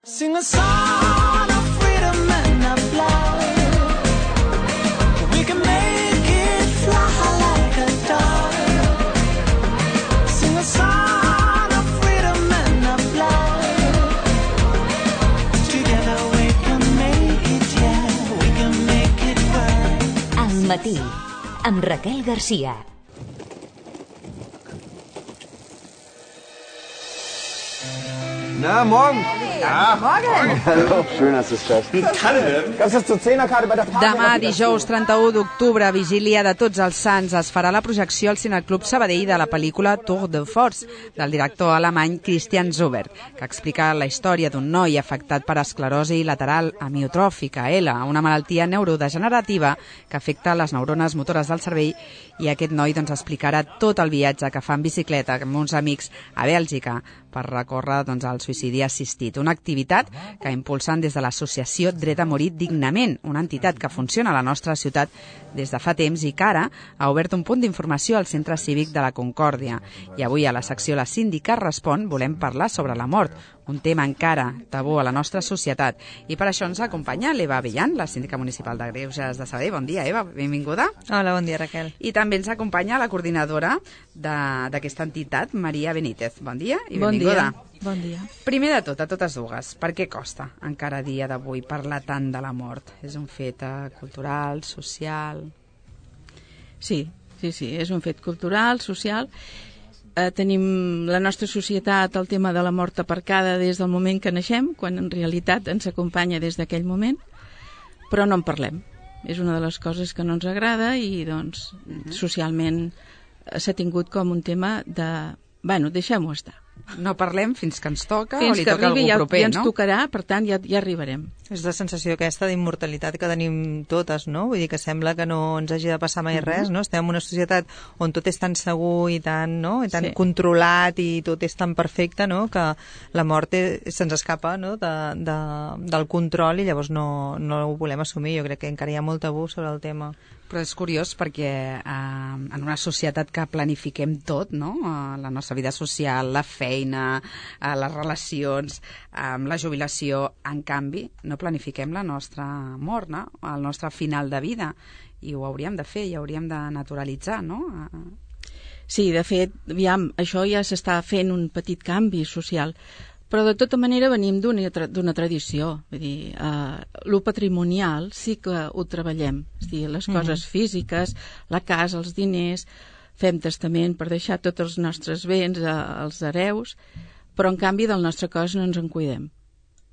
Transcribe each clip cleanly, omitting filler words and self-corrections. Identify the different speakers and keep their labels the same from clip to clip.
Speaker 1: Sing a song of freedom and of love. We can make it fly like a dove. Sing a song of freedom and of love. Together we can make it, yeah, we can make it right.
Speaker 2: Al matí, amb Raquel Garcia.
Speaker 3: Na, morgen.
Speaker 4: Morgen.
Speaker 3: Hallo, schön, dass du es schaffst. Kalle, gab's das zur Zehnerkarte bei der Party?
Speaker 5: Demà, dijous 31 d'octubre, vigília de Tots els Sants, es farà la projecció al Cineclub Sabadell de la pel·lícula Tour de Force, del director alemany Christian Zuber, que explica la història d'un noi afectat per esclerosi lateral amiotròfica, ELA, una malaltia neurodegenerativa que afecta les neurones motores del cervell, i aquest noi explicarà tot el viatge que fa en bicicleta amb uns amics a Bèlgica per recórrer el suïcidi assistit, una activitat que impulsen des de l'associació Dret a Morir Dignament, una entitat que funciona a la nostra ciutat des de fa temps i que ara ha obert un punt d'informació al Centre Cívic de la Concòrdia. I avui a la secció La Síndica Respon volem parlar sobre la mort, un tema encara tabú a la nostra societat. I per això ens acompanya l'Eva Avellán, la síndica municipal de Greuges de Sabadell. Bon dia, Eva, benvinguda.
Speaker 4: Hola, bon dia, Raquel.
Speaker 5: I també ens acompanya la coordinadora d'aquesta entitat, Maria Benítez. Bon dia i benvinguda.
Speaker 4: Bon dia.
Speaker 5: Primer de tot, a totes dues, per què costa encara a dia d'avui parlar tant de la mort? És un fet cultural, social?
Speaker 4: Sí, és un fet cultural, social. Tenim la nostra societat el tema de la mort aparcada des del moment que naixem, quan en realitat ens acompanya des d'aquell moment, però no en parlem. És una de les coses que no ens agrada i, doncs, socialment s'ha tingut com un tema de... Bueno, deixem-ho estar.
Speaker 5: No parlem fins que ens toca
Speaker 4: fins
Speaker 5: o li toca algú proper,
Speaker 4: ja ens tocarà, per tant ja arribarem.
Speaker 6: És la sensació aquesta d'immortalitat que tenim totes, no? Vull dir que sembla que no ens hagi de passar mai res, no? Estem en una societat on tot és tan segur i tan, no? I tan controlat i tot és tan perfecte, no? Que la mort se'ns escapa, no? Del control i llavors no ho volem assumir. Jo crec que encara hi ha molt tabú sobre el tema.
Speaker 5: Però és curiós perquè en una societat que planifiquem tot, no? La nostra vida social, la feina, les relacions, la jubilació, en canvi, no planifiquem la nostra mort, no? El nostre final de vida. I ho hauríem de fer i hauríem de naturalitzar, no?
Speaker 4: Sí, de fet, aviam, això ja s'està fent un petit canvi social. Però de tota manera venim d'una tradició. Vull dir, lo patrimonial sí que ho treballem. És a dir, les coses físiques, la casa, els diners, fem testament per deixar tots els nostres béns als hereus, però en canvi del nostre cos no ens en cuidem.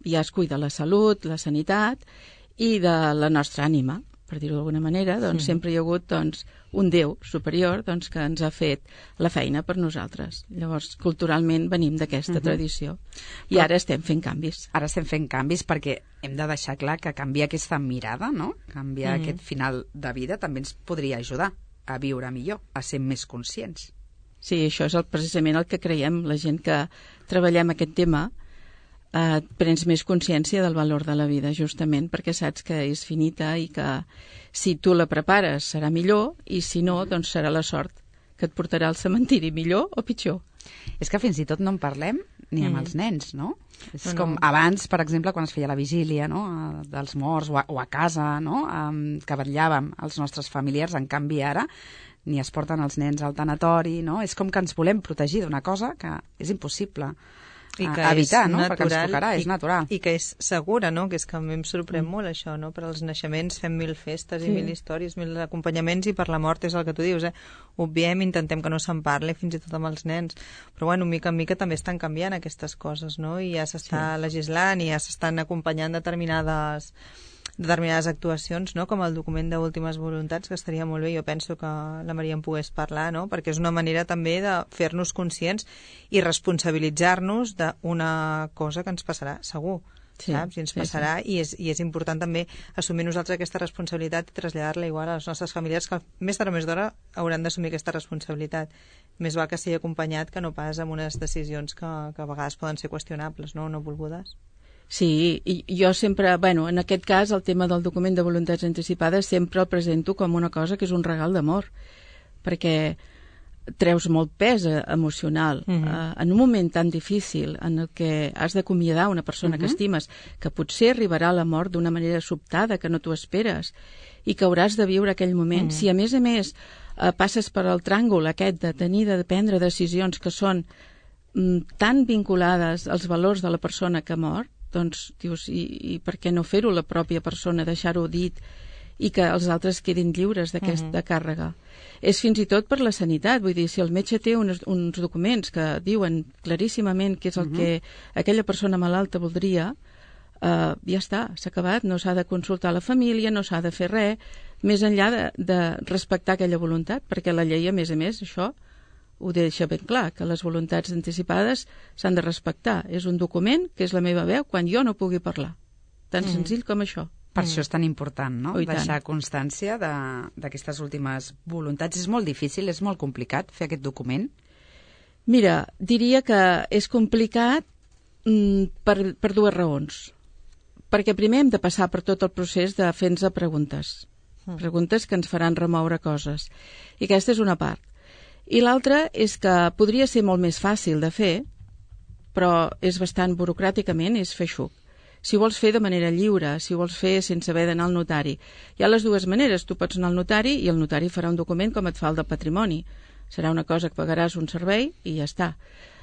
Speaker 4: Ja es cuida la salut, la sanitat i de la nostra ànima, per dir-ho d'alguna manera. Doncs sempre hi ha hagut un Déu superior que ens ha fet la feina per nosaltres. Llavors, culturalment venim d'aquesta tradició. I ara estem fent canvis.
Speaker 5: Ara estem fent canvis perquè hem de deixar clar que canviar aquesta mirada, no? Canviar aquest final de vida també ens podria ajudar a viure millor, a ser més conscients.
Speaker 4: Sí, això és precisament el que creiem. La gent que treballem aquest tema prens més consciència del valor de la vida, justament perquè saps que és finita i que si tu la prepares serà millor i si no, doncs serà la sort que et portarà al cementiri millor o pitjor.
Speaker 5: És que fins i tot no en parlem ni amb els nens, no? És com abans, per exemple, quan es feia la vigília, no? Dels morts o a casa, no? Que vetllàvem els nostres familiars, en canvi ara ni es porten els nens al tanatori, no? És com que ens volem protegir d'una cosa que és impossible
Speaker 6: i que
Speaker 5: evitar,
Speaker 6: és
Speaker 5: no?
Speaker 6: Natural,
Speaker 5: perquè ens tocarà, és natural.
Speaker 6: I que és segura, no? Que és que a mi em sorprèn molt això, no? Per als naixements fem 1000 festes i 1000 històries, 1000 acompanyaments, i per la mort és el que tu dius, obviem, intentem que no se'n parli fins i tot amb els nens, però bueno, mica en mica també estan canviant aquestes coses, no? I ja s'està legislant i ja s'estan acompanyant determinades actuacions, no? Com el document d'últimes voluntats, que estaria molt bé. Jo penso que la Maria en pogués parlar, no? Perquè és una manera també de fer-nos conscients i responsabilitzar-nos d'una cosa que ens passarà, segur. Saps? I ens passarà. I és important també assumir nosaltres aquesta responsabilitat i traslladar-la igual a les nostres famílies, que més tard o més d'hora hauran d'assumir aquesta responsabilitat. Més val que sigui acompanyat que no pas amb unes decisions que a vegades poden ser qüestionables, no volgudes.
Speaker 4: Sí, i jo sempre, en aquest cas, el tema del document de voluntats anticipades sempre el presento com una cosa que és un regal d'amor, perquè treus molt pes emocional en un moment tan difícil en el que has d'acomiadar una persona que estimes, que potser arribarà a la mort d'una manera sobtada que no t'ho esperes i que hauràs de viure aquell moment. Si a més passes per el tràngol aquest de tenir de prendre decisions que són tan vinculades als valors de la persona que ha mort, doncs dius, i per què no fer-ho la pròpia persona, deixar-ho dit i que els altres quedin lliures d'aquesta càrrega. És fins i tot per la sanitat, vull dir, si el metge té uns documents que diuen claríssimament què és el que aquella persona malalta voldria, ja està, s'ha acabat, no s'ha de consultar la família, no s'ha de fer res, més enllà de respectar aquella voluntat, perquè la llei, a més, això ho deixa ben clar, que les voluntats anticipades s'han de respectar. És un document que és la meva veu quan jo no pugui parlar. Tan senzill com això.
Speaker 5: Per això és tan important, no?, deixar constància d'aquestes últimes voluntats. És molt difícil, és molt complicat fer aquest document?
Speaker 4: Mira, diria que és complicat per dues raons. Perquè primer hem de passar per tot el procés de fer-nos preguntes. Preguntes que ens faran remoure coses. I aquesta és una part. I l'altra és que podria ser molt més fàcil de fer, però és bastant burocràticament, és feixuc. Si vols fer de manera lliure, si vols fer sense haver d'anar al notari. Hi ha les dues maneres. Tu pots anar al notari i el notari farà un document com et fa el de patrimoni. Serà una cosa que pagaràs un servei i ja està.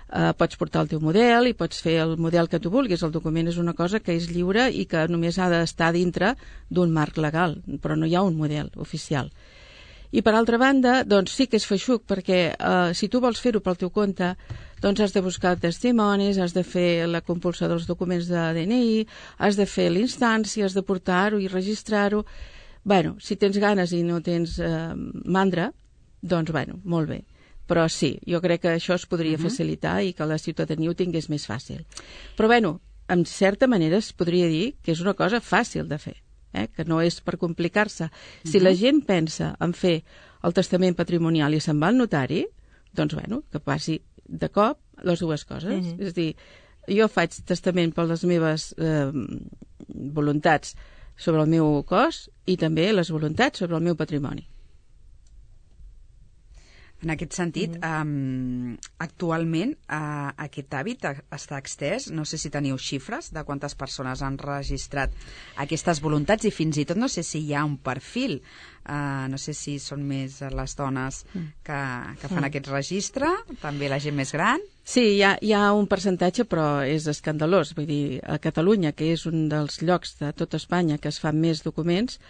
Speaker 4: Pots portar el teu model i pots fer el model que tu vulguis. El document és una cosa que és lliure i que només ha d'estar dintre d'un marc legal, però no hi ha un model oficial. I per altra banda, doncs sí que és feixuc, perquè si tu vols fer-ho pel teu compte, doncs has de buscar testimonis, has de fer la compulsió dels documents de DNI, has de fer l'instància, has de portar-ho i registrar-ho. Bueno, si tens ganes i no tens mandra, doncs bueno, molt bé. Però sí, jo crec que això es podria facilitar i que la ciutadania ho tingués més fàcil. Però bueno, en certa manera es podria dir que és una cosa fàcil de fer. Que no és per complicar-se. Si la gent pensa en fer el testament patrimonial i se'n va al notari, doncs, bueno, que passi de cop les dues coses. És a dir, jo faig testament per les meves voluntats sobre el meu cos i també les voluntats sobre el meu patrimoni.
Speaker 5: En aquest sentit, actualment aquest hàbit està extès. No sé si teniu xifres de quantes persones han registrat aquestes voluntats i fins i tot no sé si hi ha un perfil. No sé si són més les dones que fan aquest registre, també la gent més gran.
Speaker 4: Sí, hi ha un percentatge, però és escandalós. Vull dir, a Catalunya, que és un dels llocs de tot Espanya que es fan més documents,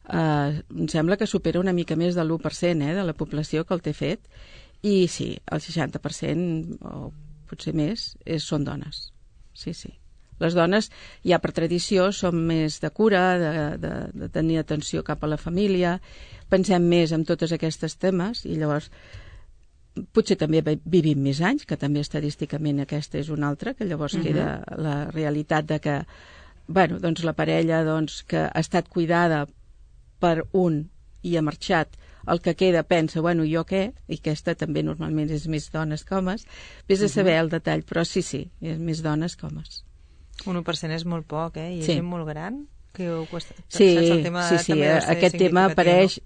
Speaker 4: em sembla que supera una mica més de l'1% de la població que el té fet, i sí, el 60% o potser més són dones. Sí. Les dones ja per tradició som més de cura, de tenir atenció cap a la família, pensem més en totes aquestes temes i llavors potser també vivim més anys, que també estadísticament aquesta és una altra, que llavors queda la realitat de que doncs la parella que ha estat cuidada per un i ha marxat, el que queda pensa, jo què? I aquesta també normalment és més dones que homes. Vés a saber el detall, però sí, és més dones que homes.
Speaker 6: 1% és molt poc, I és gent molt gran?
Speaker 4: Sí, aquest tema apareix...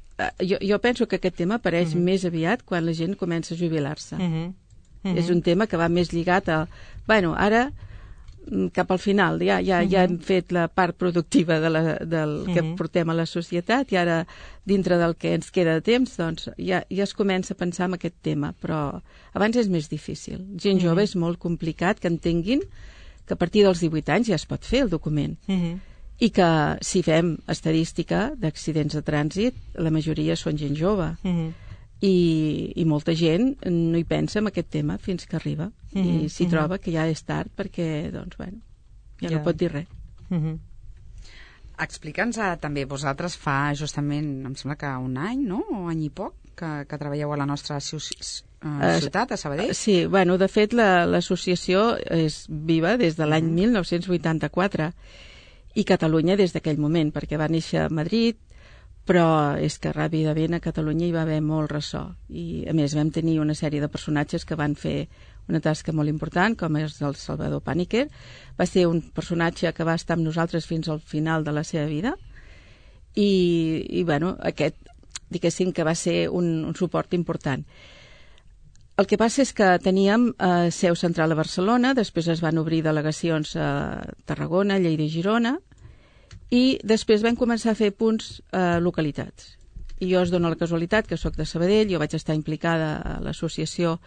Speaker 4: Jo penso que aquest tema apareix més aviat quan la gent comença a jubilar-se. És un tema que va més lligat a... Ara... cap al final, ja hem fet la part productiva del que portem a la societat i ara dintre del que ens queda de temps doncs ja es comença a pensar en aquest tema, però abans és més difícil. Gent jove és molt complicat que entenguin que a partir dels 18 anys ja es pot fer el document i que si fem estadística d'accidents de trànsit la majoria són gent jove i molta gent no hi pensa en aquest tema fins que arriba i s'hi troba que ja és tard perquè ja no pot dir res.
Speaker 5: Explica'ns també, vosaltres fa justament, em sembla que un any, no? O any i poc, que treballeu a la nostra ciutat, a Sabadell?
Speaker 4: Sí, de fet l'associació és viva des de l'any 1984 i Catalunya des d'aquell moment, perquè va néixer a Madrid, però és que ràpidament a Catalunya hi va haver molt ressò i a més vam tenir una sèrie de personatges que van fer una tasca molt important, com és el Salvador Pàniker. Va ser un personatge que va estar amb nosaltres fins al final de la seva vida i aquest, diguéssim, que va ser un suport important. El que passa és que teníem seu central a Barcelona, després es van obrir delegacions a Tarragona, Lleida i Girona, i després vam començar a fer punts a localitats. I jo es dona la casualitat que sóc de Sabadell, jo vaig estar implicada a l'associació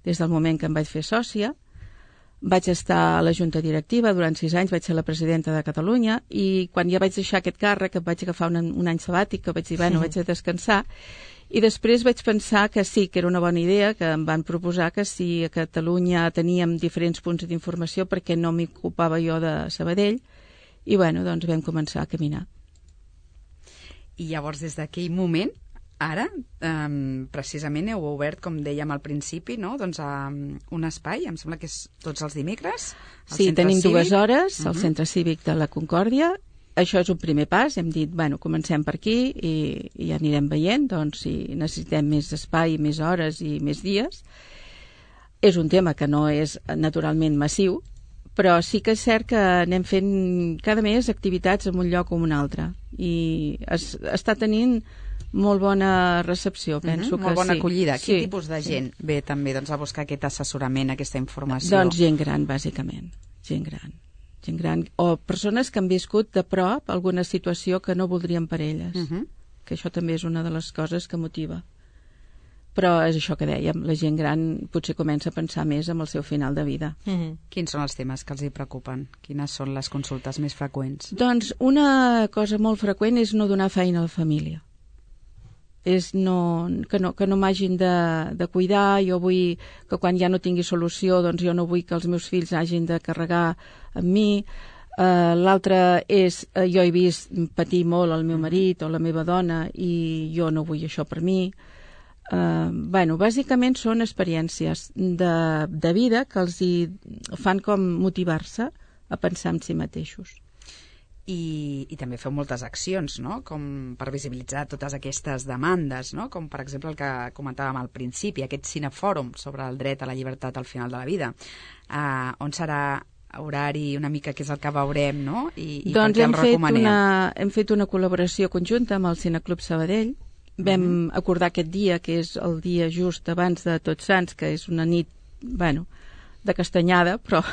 Speaker 4: des del moment que em vaig fer sòcia, vaig estar a la junta directiva durant 6 anys, vaig ser la presidenta de Catalunya, i quan ja vaig deixar aquest càrrec, que vaig agafar un any sabàtic, que vaig dir, bueno, vaig a descansar, i després vaig pensar que sí, que era una bona idea, que em van proposar que si a Catalunya teníem diferents punts d'informació, perquè no m'ocupava jo de Sabadell, i bueno, doncs vam començar a caminar.
Speaker 5: I llavors, des d'aquell moment, ara, precisament heu obert, com dèiem al principi, no? Doncs, un espai, em sembla que és tots els dimecres.
Speaker 4: Sí, tenim 2 hores al Centre Cívic de la Concòrdia. Això és un primer pas, hem dit, bueno, comencem per aquí i ja anirem veient, doncs, si necessitem més espai, més hores i més dies. És un tema que no és naturalment massiu, però sí que és cert que anem fent cada mes activitats en un lloc o en un altre, i està tenint molt bona recepció, penso que sí.
Speaker 5: Molt bona acollida.
Speaker 4: Sí.
Speaker 5: Quin tipus de gent ve també doncs, a buscar aquest assessorament, aquesta informació?
Speaker 4: Doncs gent gran, bàsicament. Gent gran. O persones que han viscut de prop alguna situació que no voldrien per elles. Que això també és una de les coses que motiva. Però és això que dèiem, la gent gran potser comença a pensar més en el seu final de vida.
Speaker 5: Quins són els temes que els hi preocupen? Quines són les consultes més freqüents?
Speaker 4: Doncs una cosa molt freqüent és no donar feina a la família. És que no m'hagin de cuidar, jo vull que quan ja no tingui solució, doncs jo no vull que els meus fills hagin de carregar amb mi. L'altre és, jo he vist patir molt el meu marit o la meva dona i jo no vull això per mi. Bueno, bàsicament són experiències de vida que els hi fan com motivar-se a pensar en si mateixos.
Speaker 5: I també feu moltes accions, no? Com per visibilitzar totes aquestes demandes, no? Com per exemple el que comentàvem al principi, aquest cinefòrum sobre el dret a la llibertat al final de la vida. On serà horari, una mica què és el que veurem, no? I
Speaker 4: doncs
Speaker 5: per què el recomanem?
Speaker 4: Hem fet una col·laboració conjunta amb el Cineclub Sabadell. Vam acordar aquest dia, que és el dia just abans de Tots Sants, que és una nit, bueno, de castanyada, però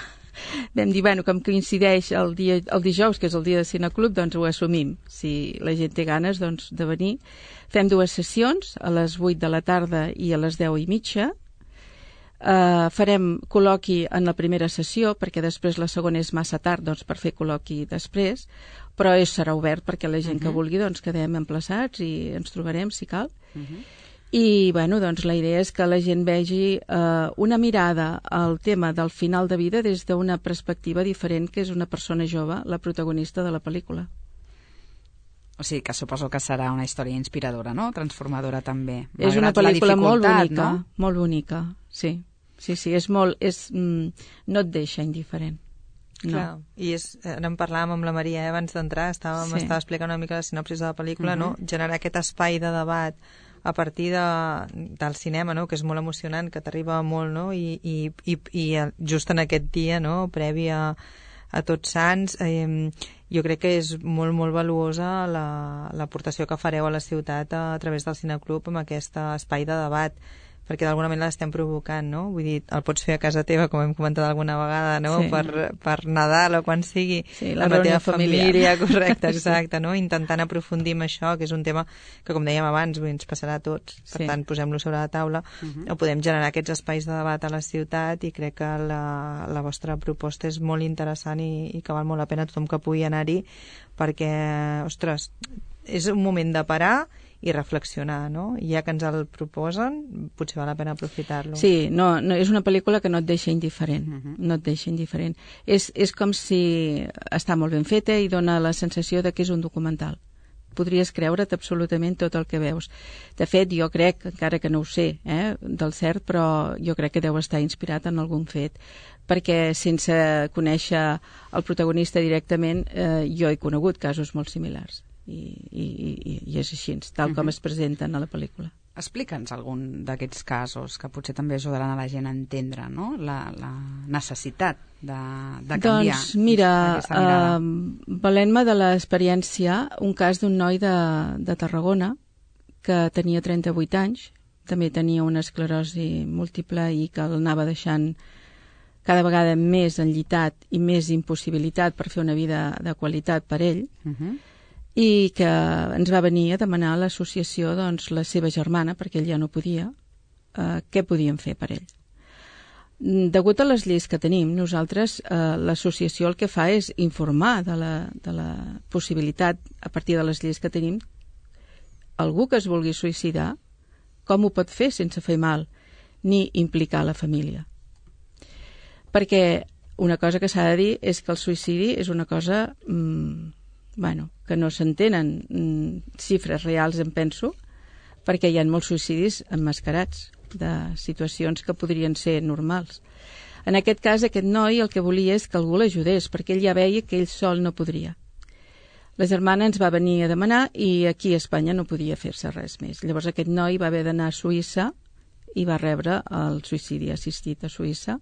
Speaker 4: vam dir, bueno, com coincideix el dijous, que és el dia de Cineclub, doncs ho assumim. Si la gent té ganes, doncs, de venir. Fem 2 sessions, a les 8 de la tarda i a les 10:30. Farem col·loqui en la primera sessió, perquè després la segona és massa tard, doncs, per fer col·loqui després, però serà obert perquè la gent que vulgui, doncs, quedem emplaçats i ens trobarem, si cal. I, bueno, doncs, la idea és que la gent vegi una mirada al tema del final de vida des d'una perspectiva diferent, que és una persona jove, la protagonista de la pel·lícula.
Speaker 5: O sigui, que suposo que serà una història inspiradora, no? Transformadora, també.
Speaker 4: És una pel·lícula molt bonica,
Speaker 5: no?
Speaker 4: Molt bonica, sí. Sí, és molt... no et deixa indiferent. No.
Speaker 6: Clar, i ara en parlàvem amb la Maria abans d'entrar, m'estava explicant una mica la sinopsis de la pel·lícula, no? Generar aquest espai de debat a partir del cinema, no? Que és molt emocionant, que t'arriba molt, no? I just en aquest dia, no? Previ a Tots Sants, jo crec que és molt, molt valuosa l'aportació que fareu a la ciutat a través del Cineclub amb aquest espai de debat, perquè d'alguna manera l'estem provocant, no? Vull dir, el pots fer a casa teva, com hem comentat alguna vegada, no?
Speaker 4: Sí.
Speaker 6: Per Nadal o quan sigui,
Speaker 4: sí, la
Speaker 6: amb la teva
Speaker 4: familiar.
Speaker 6: família, correcte, exacte, no? Intentant aprofundir en això, que és un tema que, com dèiem abans, ens passarà a tots, per tant, posem-lo sobre la taula, o podem generar aquests espais de debat a la ciutat, i crec que la vostra proposta és molt interessant i que val molt la pena tothom que pugui anar-hi, perquè, ostres, és un moment de parar i reflexionar, no? I ja que ens el proposen, potser val la pena aprofitar-lo.
Speaker 4: Sí, no, és una pel·lícula que no et deixa indiferent. No et deixa indiferent. És com si està molt ben feta i dona la sensació de que és un documental. Podries creure't absolutament tot el que veus. De fet, jo crec, encara que no ho sé del cert, però jo crec que deu estar inspirat en algun fet, perquè sense conèixer el protagonista directament, jo he conegut casos molt similars. I és així, tal com es presenten a la pel·lícula.
Speaker 5: Explica'ns algun d'aquests casos que potser també ajudaran a la gent a entendre, no? La necessitat de canviar.
Speaker 4: Doncs mira, valent-me de l'experiència, un cas d'un noi de Tarragona que tenia 38 anys, també tenia una esclerosi múltiple i que l'anava deixant cada vegada més enllitat i més impossibilitat per fer una vida de qualitat per ell, i que ens va venir a demanar a l'associació, doncs, la seva germana, perquè ell ja no podia, què podien fer per ell. Degut a les lleis que tenim, nosaltres, l'associació el que fa és informar de la possibilitat, a partir de les lleis que tenim, algú que es vulgui suïcidar, com ho pot fer sense fer mal, ni implicar la família. Perquè una cosa que s'ha de dir és que el suïcidi és una cosa que no s'entenen xifres reals, em penso, perquè hi ha molts suïcidis emmascarats de situacions que podrien ser normals. En aquest cas, aquest noi el que volia és que algú l'ajudés, perquè ell ja veia que ell sol no podria. La germana ens va venir a demanar i aquí a Espanya no podia fer-se res més. Llavors aquest noi va haver d'anar a Suïssa i va rebre el suïcidi assistit a Suïssa.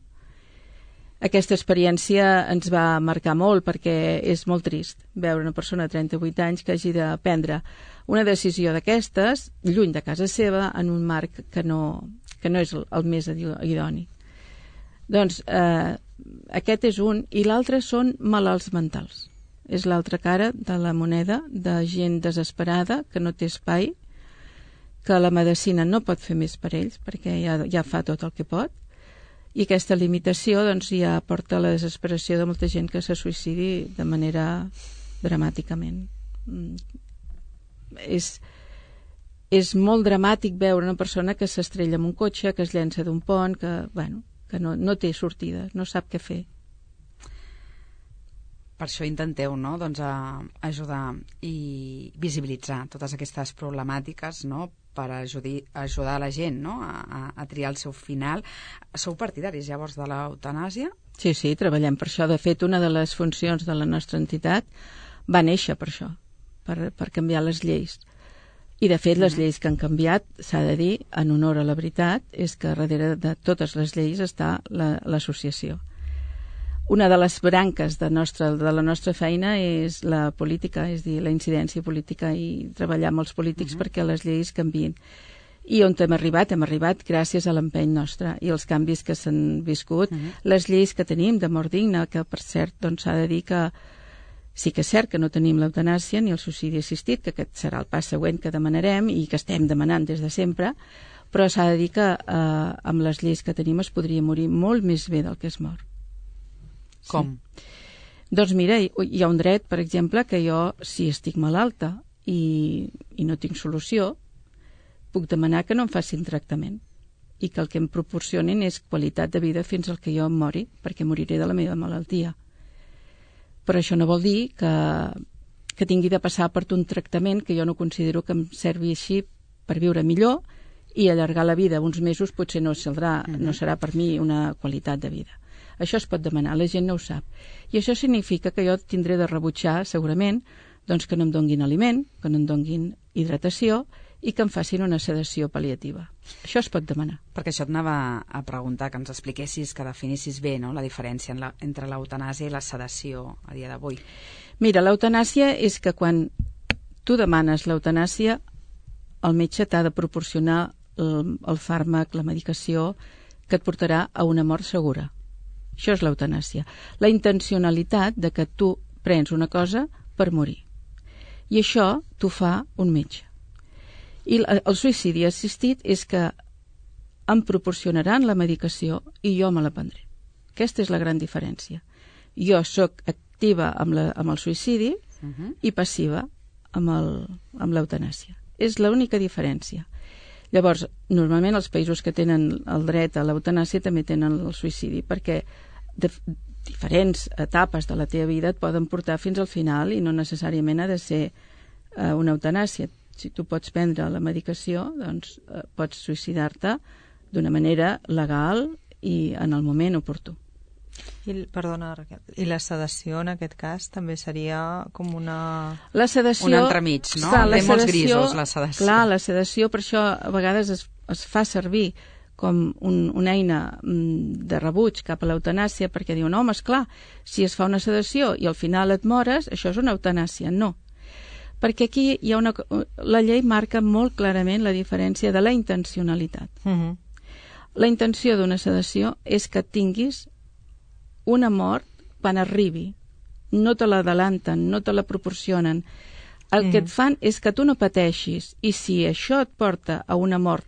Speaker 4: Aquesta experiència ens va marcar molt perquè és molt trist veure una persona de 38 anys que hagi de prendre una decisió d'aquestes, lluny de casa seva, en un marc que no és el més idoni. Doncs aquest és un, i l'altre són malalts mentals. És l'altra cara de la moneda de gent desesperada que no té espai, que la medicina no pot fer més per ells perquè ja fa tot el que pot, i aquesta limitació doncs, ja porta a la desesperació de molta gent que se suïcidi de manera dramàticament. És molt dramàtic veure una persona que s'estrella en un cotxe, que es llença d'un pont, que no té sortida, no sap què fer.
Speaker 5: Per això intenteu, no?, doncs, ajudar i visibilitzar totes aquestes problemàtiques, no?, per ajudar la gent, no?, a triar el seu final. Sou partidaris, llavors, de l'eutanàsia?
Speaker 4: Sí, treballem per això. De fet, una de les funcions de la nostra entitat va néixer per això, per canviar les lleis. I, de fet, les lleis que han canviat, s'ha de dir, en honor a la veritat, és que darrere de totes les lleis està l'associació. Una de les branques de la nostra feina és la política, és dir, la incidència política i treballar amb els polítics perquè les lleis canviïn. I on hem arribat gràcies a l'empeny nostre i els canvis que s'han viscut. Les lleis que tenim de mort digna, que per cert doncs, s'ha de dir que sí que és cert que no tenim l'eutanàsia ni el suïcidi assistit, que aquest serà el pas següent que demanarem i que estem demanant des de sempre, però s'ha de dir que amb les lleis que tenim es podria morir molt més bé del que es mor.
Speaker 5: Com?
Speaker 4: Sí. Doncs mira, hi ha un dret, per exemple, que jo, si estic malalta i no tinc solució, puc demanar que no em facin tractament i que el que em proporcionin és qualitat de vida fins al que jo em mori, perquè moriré de la meva malaltia. Però això no vol dir que tingui de passar per un tractament que jo no considero que em servi així per viure millor i allargar la vida uns mesos potser no serà per mi una qualitat de vida. Això es pot demanar, la gent no ho sap. I això significa que jo tindré de rebutjar, segurament, doncs que no em donguin aliment, que no em donguin hidratació i que em facin una sedació pal·liativa. Això es pot demanar.
Speaker 5: Perquè això et anava a preguntar, que ens expliquessis, que definissis bé, no?, la diferència entre l'eutanàsia i la sedació a dia d'avui.
Speaker 4: Mira, l'eutanàsia és que quan tu demanes l'eutanàsia, el metge t'ha de proporcionar el fàrmac, la medicació, que et portarà a una mort segura. Això és l'eutanàsia. La intencionalitat de que tu prens una cosa per morir. I això t'ho fa un metge. I el suïcidi assistit és que em proporcionaran la medicació i jo me la prendré. Aquesta és la gran diferència. Jo sóc activa amb el suïcidi i passiva amb l'eutanàsia. És l'única diferència. Llavors, normalment els països que tenen el dret a l'eutanàsia també tenen el suïcidi, perquè diferents etapes de la teva vida et poden portar fins al final i no necessàriament ha de ser una eutanàsia. Si tu pots prendre la medicació, doncs pots suïcidar-te d'una manera legal i en el moment oportú.
Speaker 6: Perdona, Raquel, i la sedació en aquest cas també seria com una...
Speaker 4: La sedació...
Speaker 5: Un entremig, no? Té molts grisos, la sedació.
Speaker 4: Clar, la sedació, per això a vegades es fa servir com una eina de rebuig cap a l'eutanàsia, perquè diuen, home, esclar, si es fa una sedació i al final et mores, això és una eutanàsia. No. Perquè aquí hi ha la llei marca molt clarament la diferència de la intencionalitat. La intenció d'una sedació és que tinguis una mort quan arribi. No te l'adelanten, no te la proporcionen. El que et fan és que tu no pateixis, i si això et porta a una mort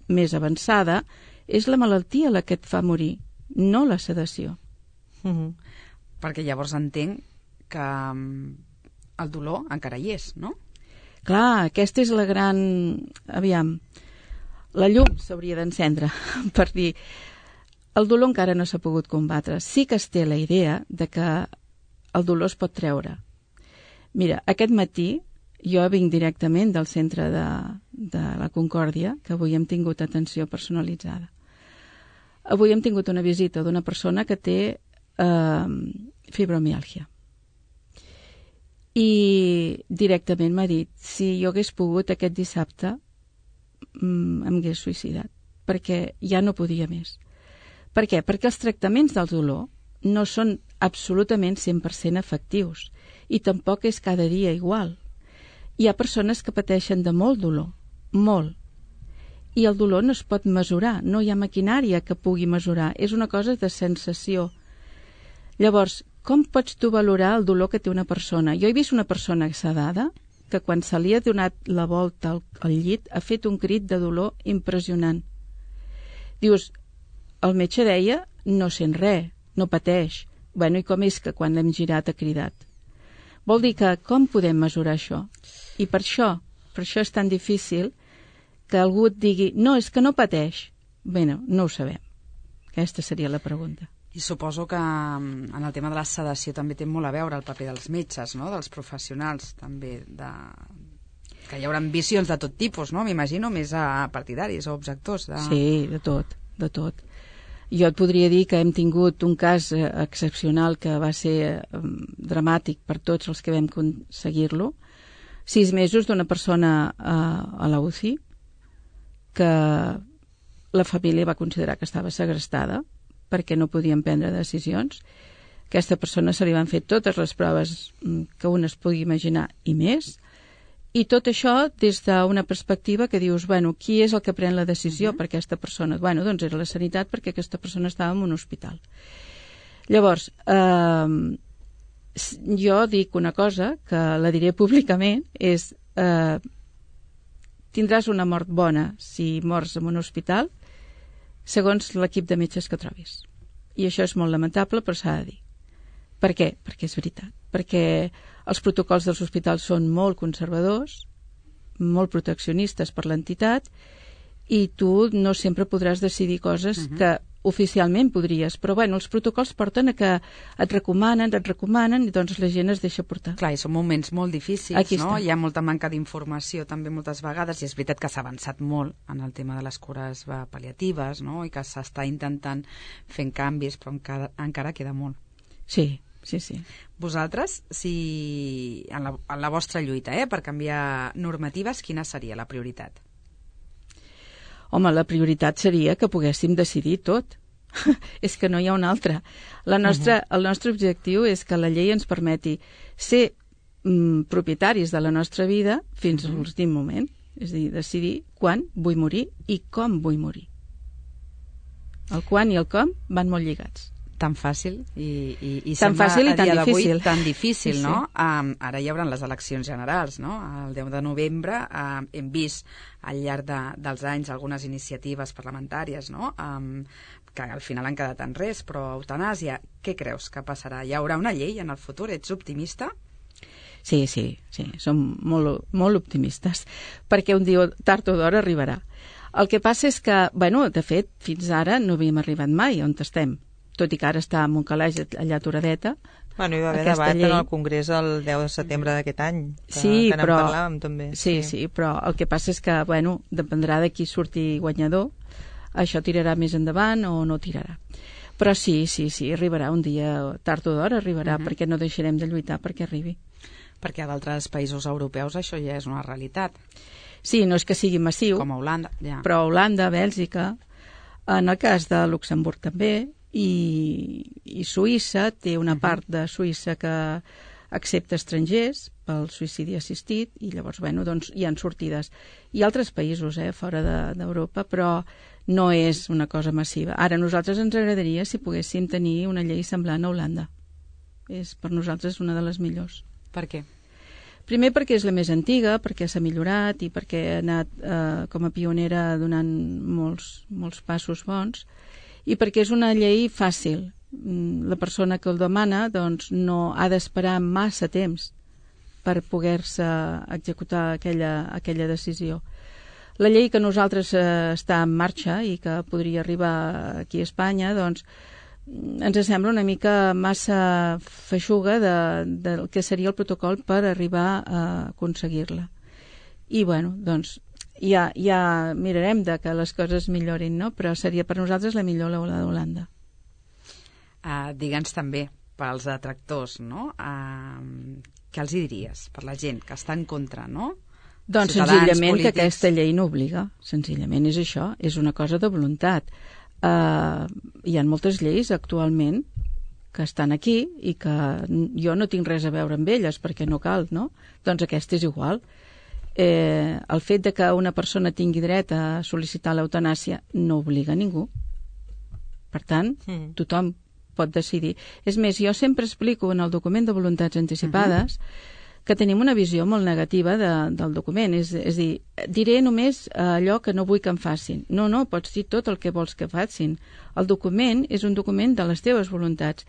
Speaker 4: més avançada, és la malaltia la que et fa morir, no la sedació.
Speaker 5: Perquè llavors entenc que el dolor encara hi és, no?
Speaker 4: Clar, aquesta és la gran... Aviam, la llum s'hauria d'encendre, per dir... El dolor encara no s'ha pogut combatre. Sí que es té la idea de que el dolor es pot treure. Mira, aquest matí jo vinc directament del centre de la Concòrdia, que avui hem tingut atenció personalitzada. Avui hem tingut una visita d'una persona que té fibromiàlgia. I directament m'ha dit, si jo hagués pogut aquest dissabte, em hagués suïcidat, perquè ja no podia més. Per què? Perquè els tractaments del dolor no són absolutament 100% efectius i tampoc és cada dia igual. Hi ha persones que pateixen de molt dolor, molt, i el dolor no es pot mesurar, no hi ha maquinària que pugui mesurar, és una cosa de sensació. Llavors, com pots tu valorar el dolor que té una persona? Jo he vist una persona sedada que quan se li ha donat la volta al llit ha fet un crit de dolor impressionant. Dius, el metge deia, no sent res, no pateix. Bueno, i com és que quan l'hem girat ha cridat? Vol dir que com podem mesurar això? I per això és tan difícil que algú et digui, no, és que no pateix. Bé, no ho sabem. Aquesta seria la pregunta.
Speaker 5: I suposo que en el tema de la sedació també té molt a veure el paper dels metges, no? Dels professionals, també, que hi haurà visions de tot tipus, no? M'imagino, més a partidaris o objectors.
Speaker 4: Sí, de tot. Jo et podria dir que hem tingut un cas excepcional que va ser dramàtic per tots els que vam aconseguir-lo. 6 mesos d'una persona a la UCI que la família va considerar que estava segrestada perquè no podien prendre decisions. Aquesta persona se li van fer totes les proves que un es pugui imaginar i més, i tot això des d'una perspectiva que dius, bueno, qui és el que pren la decisió per aquesta persona? Bueno, doncs era la sanitat perquè aquesta persona estava en un hospital. Llavors, jo dic una cosa que la diré públicament, és tindràs una mort bona si mors en un hospital segons l'equip de metges que trobis. I això és molt lamentable, però s'ha de dir. Per què? Perquè és veritat. Perquè els protocols dels hospitals són molt conservadors, molt proteccionistes per l'entitat, i tu no sempre podràs decidir coses que oficialment podries, però bueno, els protocols porten a que et recomanen, i doncs la gent es deixa portar.
Speaker 5: Clar, i són moments molt difícils, no? Hi ha molta manca d'informació també moltes vegades, i és veritat que s'ha avançat molt en el tema de les cures pal·liatives, no? I que s'està intentant fent canvis, però encara queda molt.
Speaker 4: Sí.
Speaker 5: Vosaltres, si en la vostra lluita per canviar normatives, quina seria la prioritat?
Speaker 4: Home, la prioritat seria que poguéssim decidir tot. És que no hi ha una altra. El nostre objectiu és que la llei ens permeti ser propietaris de la nostra vida fins a l'últim moment. És a dir, decidir quan vull morir i com vull morir. El quan i el com van molt lligats.
Speaker 5: Tan fàcil i
Speaker 4: tan fàcil i tan difícil.
Speaker 5: Tan difícil, no? Ara hi haurà les eleccions generals, no? El 10 de novembre hem vist al llarg dels anys algunes iniciatives parlamentàries, no? Que al final han quedat en res, però eutanàsia, què creus que passarà? Hi haurà una llei en el futur? Ets optimista?
Speaker 4: Sí, som molt optimistes, perquè un dia tard o d'hora arribarà. El que passa és que, bueno, de fet, fins ara no havíem arribat mai on estem, tot i que ara està en un calaix allà aturadeta.
Speaker 6: Bueno, hi va haver debat en el Congrés el 10 de setembre d'aquest any, que n'en parlàvem també.
Speaker 4: Sí, però el que passa és que, bueno, dependrà de qui surti guanyador, això tirarà més endavant o no tirarà. Però sí, arribarà un dia, tard o d'hora arribarà, perquè no deixarem de lluitar perquè arribi.
Speaker 5: Perquè a d'altres països europeus això ja és una realitat.
Speaker 4: Sí, no és que sigui massiu,
Speaker 5: com a Holanda, ja.
Speaker 4: Però Holanda, Bèlgica, en el cas de Luxemburg també, i Suïssa té una part de Suïssa que excepte estrangers, pel suïcidi assistit, i llavors, bueno, doncs hi han sortides. Hi ha altres països, fora d'Europa, però no és una cosa massiva. Ara, a nosaltres ens agradaria si poguéssim tenir una llei semblant a Holanda. És per nosaltres una de les millors.
Speaker 5: Per què?
Speaker 4: Primer perquè és la més antiga, perquè s'ha millorat i perquè ha anat com a pionera donant molts passos bons, i perquè és una llei fàcil. La persona que el demana doncs, no ha d'esperar massa temps per poder-se executar aquella decisió. La llei que nosaltres està en marxa i que podria arribar aquí a Espanya, doncs, ens sembla una mica massa feixuga del que seria el protocol per arribar a aconseguir-la. I, bueno, doncs, ja mirarem de que les coses millorin, no? Però seria per nosaltres la millor la d'Holanda.
Speaker 5: Digue'ns també, pels detractors, no? Què els hi diries per la gent que està en contra, no?
Speaker 4: Doncs senzillament polítics. Que aquesta llei no obliga. Senzillament és això, és una cosa de voluntat. Hi ha moltes lleis actualment que estan aquí i que jo no tinc res a veure amb elles perquè no cal, no? Doncs aquesta és igual. El fet de que una persona tingui dret a sol·licitar l'eutanàsia no obliga a ningú. Per tant, tothom pot decidir. És més, jo sempre explico en el document de voluntats anticipades que tenim una visió molt negativa del document. És dir, diré només allò que no vull que em facin. No, pots dir tot el que vols que facin. El document és un document de les teves voluntats.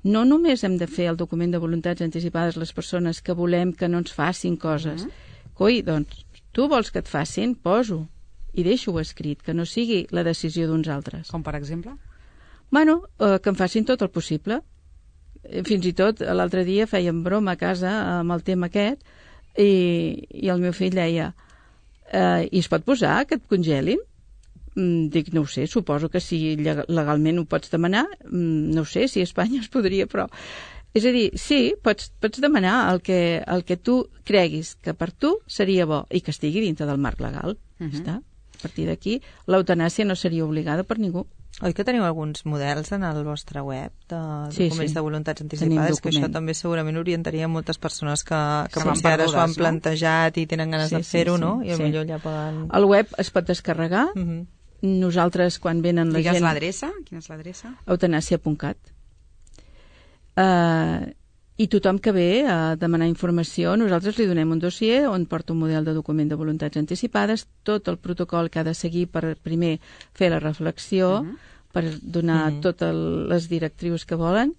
Speaker 4: No només hem de fer el document de voluntats anticipades les persones que volem que no ens facin coses. Coi, doncs, tu vols que et facin? Poso. I deixo-ho escrit, que no sigui la decisió d'uns altres.
Speaker 5: Com per exemple?
Speaker 4: Bueno, que em facin tot el possible. Fins i tot l'altre dia fèiem broma a casa amb el tema aquest i el meu fill deia i es pot posar que et congelin? Dic, no ho sé, suposo que si legalment ho pots demanar, no ho sé si a Espanya es podria, però és a dir, sí, pots demanar el que tu creguis que per tu seria bo i que estigui dintre del marc legal. Està? A partir d'aquí, l'eutanàsia no seria obligada per ningú.
Speaker 6: Oi que teniu alguns models en el vostre web de documents de voluntats anticipades? Que això també segurament orientaria moltes persones que potser ara s'ho han plantejat i tenen ganes de fer-ho, no? I potser ja poden...
Speaker 4: El web es pot descarregar. Nosaltres, quan venen la gent...
Speaker 5: Digues l'adreça? Quina és l'adreça?
Speaker 4: Eutanàsia.cat. I tothom que ve a demanar informació, nosaltres li donem un dossier on porta un model de document de voluntats anticipades, tot el protocol que ha de seguir per primer fer la reflexió, per donar totes les directrius que volen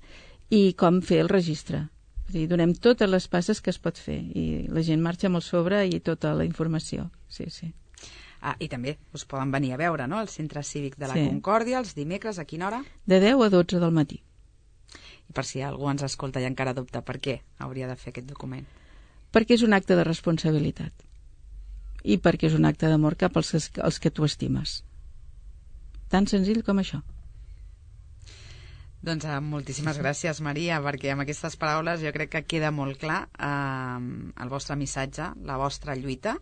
Speaker 4: i com fer el registre. És a dir, donem totes les passes que es pot fer i la gent marxa amb el sobre i tota la informació. Sí.
Speaker 5: I també us poden venir a veure, no?, al Centre Cívic de la Concòrdia, els dimecres, a quina hora?
Speaker 4: De 10 a 12 del matí.
Speaker 5: I per si algú ens escolta i encara dubta, per què hauria de fer aquest document?
Speaker 4: Perquè és un acte de responsabilitat i perquè és un acte d'amor cap als que tu estimes. Tan senzill com això.
Speaker 5: Doncs moltíssimes gràcies, Maria, perquè amb aquestes paraules jo crec que queda molt clar el vostre missatge, la vostra lluita,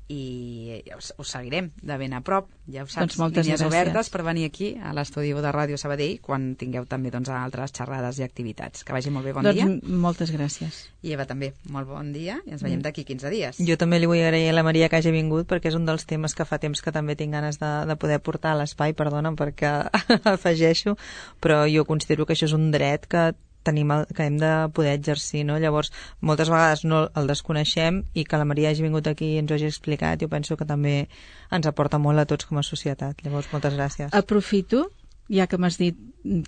Speaker 5: i us seguirem de ben a prop, ja ho saps,
Speaker 4: doncs
Speaker 5: línies obertes per venir aquí a l'estudi de Ràdio Sabadell quan tingueu també altres xerrades i activitats. Que vagi molt bé, bon dia.
Speaker 4: Moltes gràcies.
Speaker 5: I Eva també, molt bon dia i ens veiem d'aquí 15 dies.
Speaker 6: Jo també li vull agrair a la Maria que hagi vingut perquè és un dels temes que fa temps que també tinc ganes de poder portar a l'espai, perdona'm perquè afegeixo, però jo considero que això és un dret que hem de poder exercir, no? Llavors, moltes vegades no el desconeixem i que la Maria hagi vingut aquí i ens ho hagi explicat, jo penso que també ens aporta molt a tots com a societat. Llavors, moltes gràcies.
Speaker 4: Aprofito, ja que m'has dit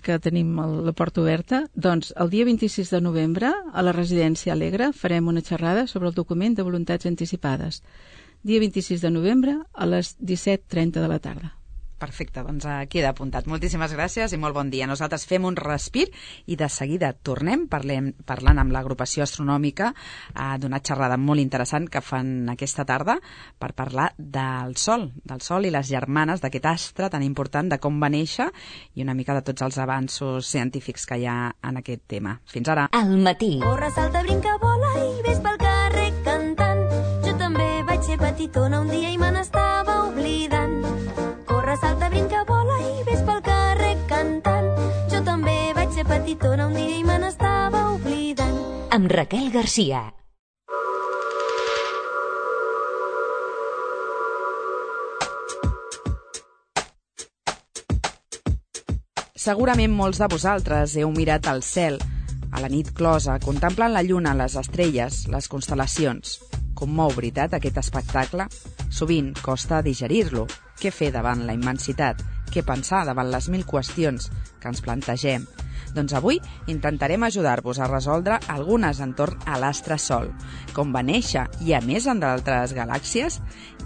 Speaker 4: que tenim la porta oberta, doncs el dia 26 de novembre a la Residència Alegre farem una xerrada sobre el document de voluntats anticipades. Dia 26 de novembre a les 17:30 de la tarda.
Speaker 5: Perfecte, doncs queda apuntat. Moltíssimes gràcies i molt bon dia. Nosaltres fem un respir i de seguida tornem parlant amb l'agrupació astronòmica d'una xerrada molt interessant que fan aquesta tarda per parlar del Sol i les germanes d'aquest astre tan important, de com va néixer i una mica de tots els avanços científics que hi ha en aquest tema. Fins ara.
Speaker 2: Al matí.
Speaker 7: Corre, salta, brinca, vola i ves pel carrer cantant. Jo també vaig ser petitona un dia i me n'estava oblidant. Corre, salta, brinca, vola i ves pel carrer cantant. Jo també vaig ser petitona un dia i me n'estava oblidant.
Speaker 2: Amb amb Raquel Garcia.
Speaker 5: Segurament molts de vosaltres heu mirat al cel, a la nit closa, contemplant la lluna, les estrelles, les constel·lacions. Com mou, veritat, aquest espectacle? Sovint costa digerir-lo. Què fer davant la immensitat? Què pensar davant les 1000 qüestions que ens plantegem? Doncs avui intentarem ajudar-vos a resoldre algunes entorn a l'astre Sol, com va néixer i a més en d'altres galàxies.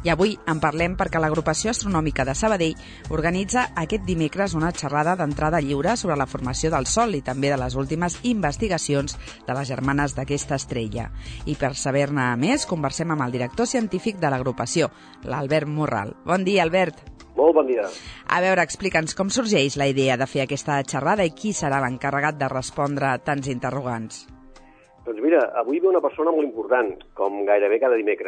Speaker 5: I avui en parlem perquè l'Agrupació Astronòmica de Sabadell organitza aquest dimecres una xerrada d'entrada lliure sobre la formació del Sol i també de les últimes investigacions de les germanes d'aquesta estrella. I per saber-ne més, conversem amb el director científic de l'agrupació, l'Albert Morral. Bon dia, Albert.
Speaker 8: Molt bon dia.
Speaker 5: A veure, explica'ns com sorgeix la idea de fer aquesta xerrada i qui serà l'encarregat de respondre a tants interrogants.
Speaker 8: Doncs mira, avui ve una persona molt important, com gairebé cada dimecres.